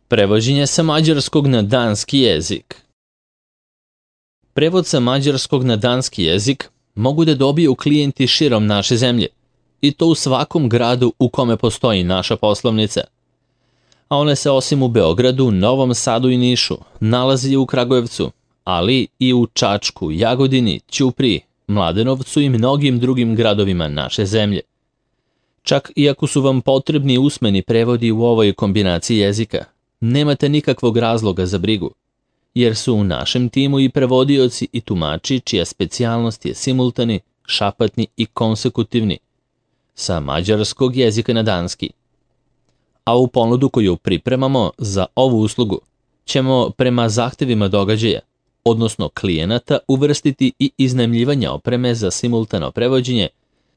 Prevođenje sa mađarskog na danski jezik. Prevod sa mađarskog na danski jezik mogu da dobiju klijenti širom naše zemlje, i to u svakom gradu u kome postoji naša poslovnica. A one se osim u Beogradu, Novom Sadu i Nišu nalazi u Kragujevcu, ali i u Čačku, Jagodini, Ćupriji, Mladenovcu i mnogim drugim gradovima naše zemlje. Čak i ako su vam potrebni usmeni prevodi u ovoj kombinaciji jezika, nemate nikakvog razloga za brigu, jer su u našem timu i prevodioci i tumači čija specijalnost je simultani, šapatni i konsekutivni, sa mađarskog jezika na danski. A u ponudu koju pripremamo za ovu uslugu ćemo prema zahtevima događaja, odnosno klijenata, uvrstiti i iznajmljivanje opreme za simultano prevođenje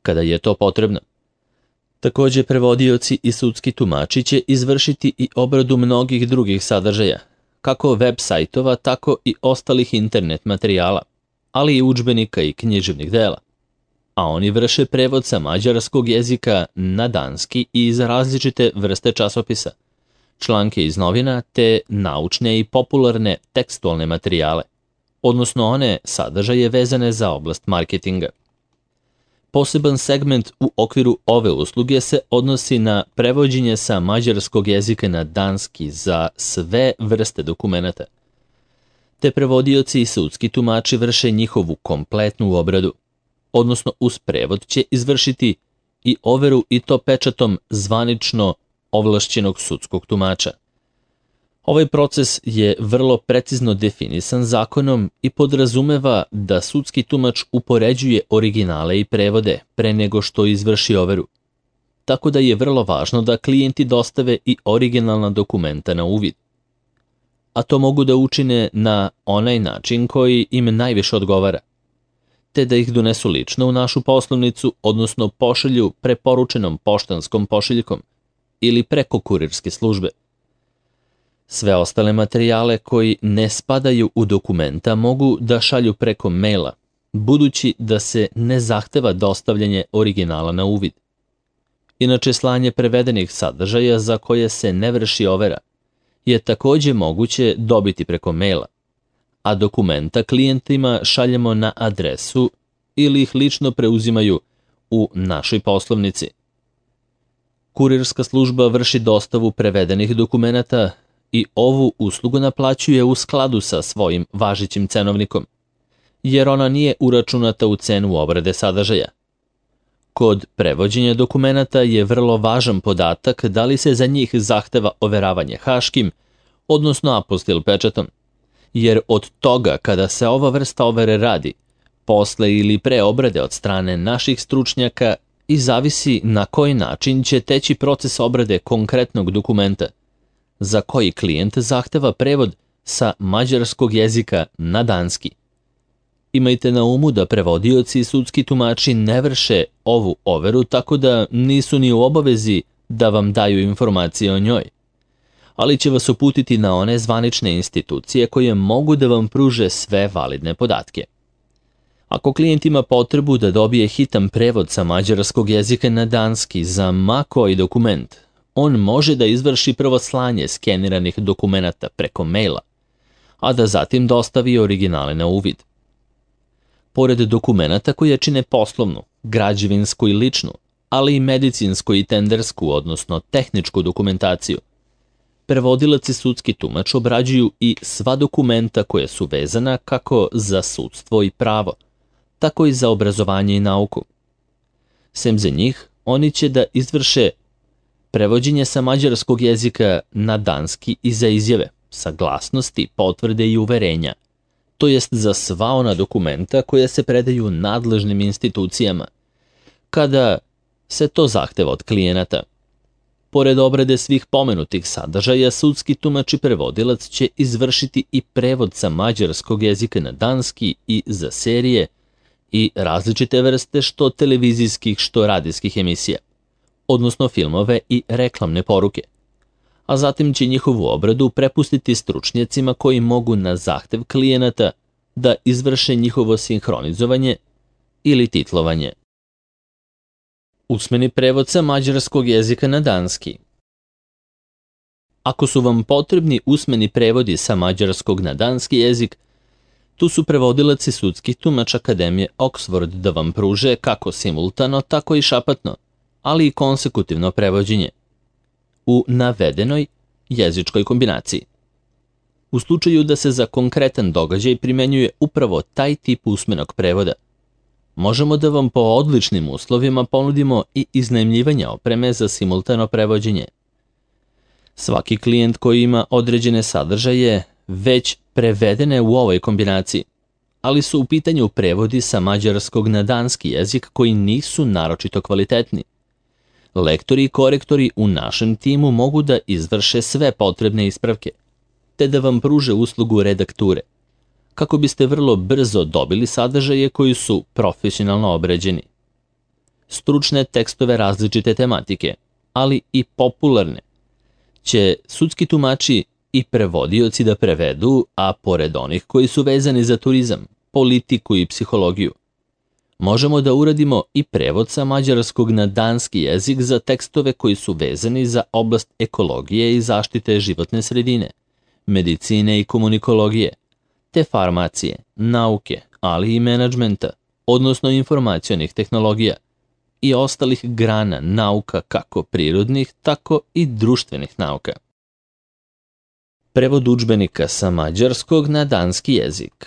kada je to potrebno. Također prevodioci i sudski tumači će izvršiti i obradu mnogih drugih sadržaja, kako web sajtova, tako i ostalih internet materijala, ali i udžbenika i književnih dela. A oni vrše prevod sa mađarskog jezika na danski i za različite vrste časopisa, članke iz novina te naučne i popularne tekstualne materijale, odnosno one sadržaje vezane za oblast marketinga. Poseban segment u okviru ove usluge se odnosi na prevođenje sa mađarskog jezika na danski za sve vrste dokumenata. Te prevodioci i sudski tumači vrše njihovu kompletnu obradu, odnosno uz prevod će izvršiti i overu i to pečatom zvanično ovlašćenog sudskog tumača. Ovaj proces je vrlo precizno definisan zakonom i podrazumeva da sudski tumač upoređuje originale i prevode pre nego što izvrši overu. Tako da je vrlo važno da klijenti dostave i originalna dokumenta na uvid. A to mogu da učine na onaj način koji im najviše odgovara, te da ih donesu lično u našu poslovnicu, odnosno pošalju preporučenom poštanskom pošiljkom ili preko kurirske službe. Sve ostale materijale koji ne spadaju u dokumenta mogu da šalju preko maila, budući da se ne zahteva dostavljanje originala na uvid. Inače, slanje prevedenih sadržaja za koje se ne vrši overa je također moguće dobiti preko maila, a dokumenta klijentima šaljemo na adresu ili ih lično preuzimaju u našoj poslovnici. Kurirska služba vrši dostavu prevedenih dokumenata i ovu uslugu naplaćuje u skladu sa svojim važećim cenovnikom, jer ona nije uračunata u cenu obrade sadržaja. Kod prevođenja dokumenata je vrlo važan podatak da li se za njih zahteva overavanje haškim, odnosno apostil pečatom, jer od toga kada se ova vrsta overe radi, posle ili pre obrade od strane naših stručnjaka, i zavisi na koji način će teći proces obrade konkretnog dokumenta, za koji klijent zahteva prevod sa mađarskog jezika na danski. Imajte na umu da prevodioci i sudski tumači ne vrše ovu overu, tako da nisu ni u obavezi da vam daju informacije o njoj, ali će vas uputiti na one zvanične institucije koje mogu da vam pruže sve validne podatke. Ako klijent ima potrebu da dobije hitan prevod sa mađarskog jezika na danski za ma koji dokument, on može da izvrši prvo slanje skeniranih dokumenata preko maila, a da zatim dostavi originale na uvid. Pored dokumenata koje čine poslovnu, građevinsku i ličnu, ali i medicinsku i tendersku, odnosno tehničku dokumentaciju, prevodilac i sudski tumač obrađuju i sva dokumenta koje su vezana kako za sudstvo i pravo, tako i za obrazovanje i nauku. Sem za njih, oni će da izvrše prevođenje sa mađarskog jezika na danski i za izjave, saglasnosti, potvrde i uverenja, to jest za sva ona dokumenta koja se predaju nadležnim institucijama, kada se to zahteva od klijenata. Pored obrade svih pomenutih sadržaja, sudski tumač i prevodilac će izvršiti i prevod sa mađarskog jezika na danski i za serije i različite vrste što televizijskih, što radijskih emisija, odnosno filmove i reklamne poruke, a zatim će njihovu obradu prepustiti stručnjacima koji mogu na zahtev klijenata da izvrše njihovo sinhronizovanje ili titlovanje. Usmeni prevod sa mađarskog jezika na danski. Ako su vam potrebni usmeni prevodi sa mađarskog na danski jezik, tu su prevodilac i sudski tumač Akademije Oxford da vam pruže kako simultano, tako i šapatno, ali i konsekutivno prevođenje u navedenoj jezičkoj kombinaciji. U slučaju da se za konkretan događaj primenjuje upravo taj tip usmenog prevoda, možemo da vam po odličnim uslovima ponudimo i iznajmljivanje opreme za simultano prevođenje. Svaki klijent koji ima određene sadržaje već prevedene u ovoj kombinaciji, ali su u pitanju prevodi sa mađarskog na danski jezik koji nisu naročito kvalitetni. Lektori i korektori u našem timu mogu da izvrše sve potrebne ispravke, te da vam pruže uslugu redakture, kako biste vrlo brzo dobili sadržaje koji su profesionalno obrađeni. Stručne tekstove različite tematike, ali i popularne, će sudski tumači i prevodioci da prevedu, a pored onih koji su vezani za turizam, politiku i psihologiju. Možemo da uradimo i prevod sa mađarskog na danski jezik za tekstove koji su vezani za oblast ekologije i zaštite životne sredine, medicine i komunikologije, te farmacije, nauke, ali i menadžmenta, odnosno informacionih tehnologija i ostalih grana nauka kako prirodnih, tako i društvenih nauka. Prevod udžbenika sa mađarskog na danski jezik.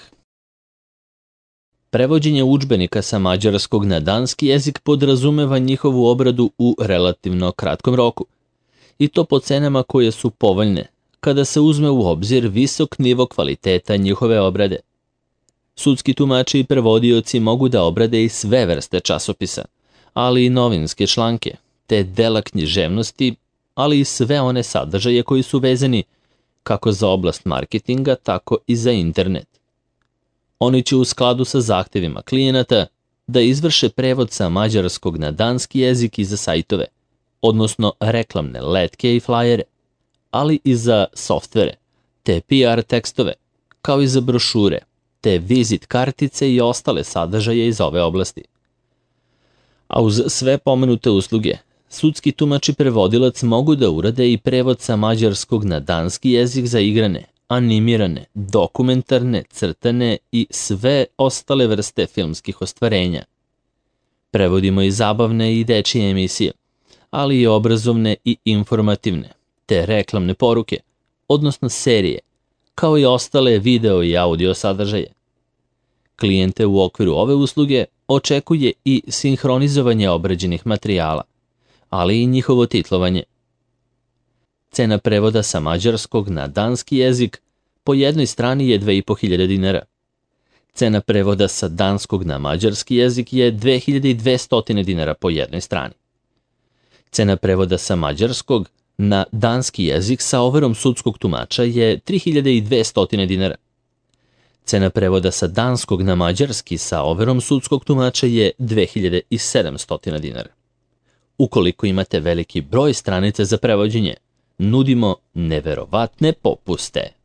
Prevođenje udžbenika sa mađarskog na danski jezik podrazumeva njihovu obradu u relativno kratkom roku, i to po cenama koje su povoljne, kada se uzme u obzir visok nivo kvaliteta njihove obrade. Sudski tumači i prevodioci mogu da obrade i sve vrste časopisa, ali i novinske članke, te dela književnosti, ali i sve one sadržaje koji su vezani kako za oblast marketinga, tako i za internet. Oni će u skladu sa zahtevima klijenata da izvrše prevod sa mađarskog na danski jezik i za sajtove, odnosno reklamne letke i flajere, ali i za softvere, te PR tekstove, kao i za brošure, te vizit kartice i ostale sadržaje iz ove oblasti. A uz sve pomenute usluge, sudski tumač i prevodilac mogu da urade i prevod sa mađarskog na danski jezik za igrane, animirane, dokumentarne, crtane i sve ostale vrste filmskih ostvarenja. Prevodimo i zabavne i dečije emisije, ali i obrazovne i informativne, te reklamne poruke, odnosno serije, kao i ostale video i audio sadržaje. Klijente u okviru ove usluge očekuje i sinhronizovanje obrađenih materijala, ali i njihovo titlovanje. Cena prevoda sa mađarskog na danski jezik po jednoj strani je 2500 dinara. Cena prevoda sa danskog na mađarski jezik je 2200 dinara po jednoj strani. Cena prevoda sa mađarskog na danski jezik sa overom sudskog tumača je 3200 dinara. Cena prevoda sa danskog na mađarski sa overom sudskog tumača je 2700 dinara. Ukoliko imate veliki broj stranica za prevođenje, nudimo neverovatne popuste.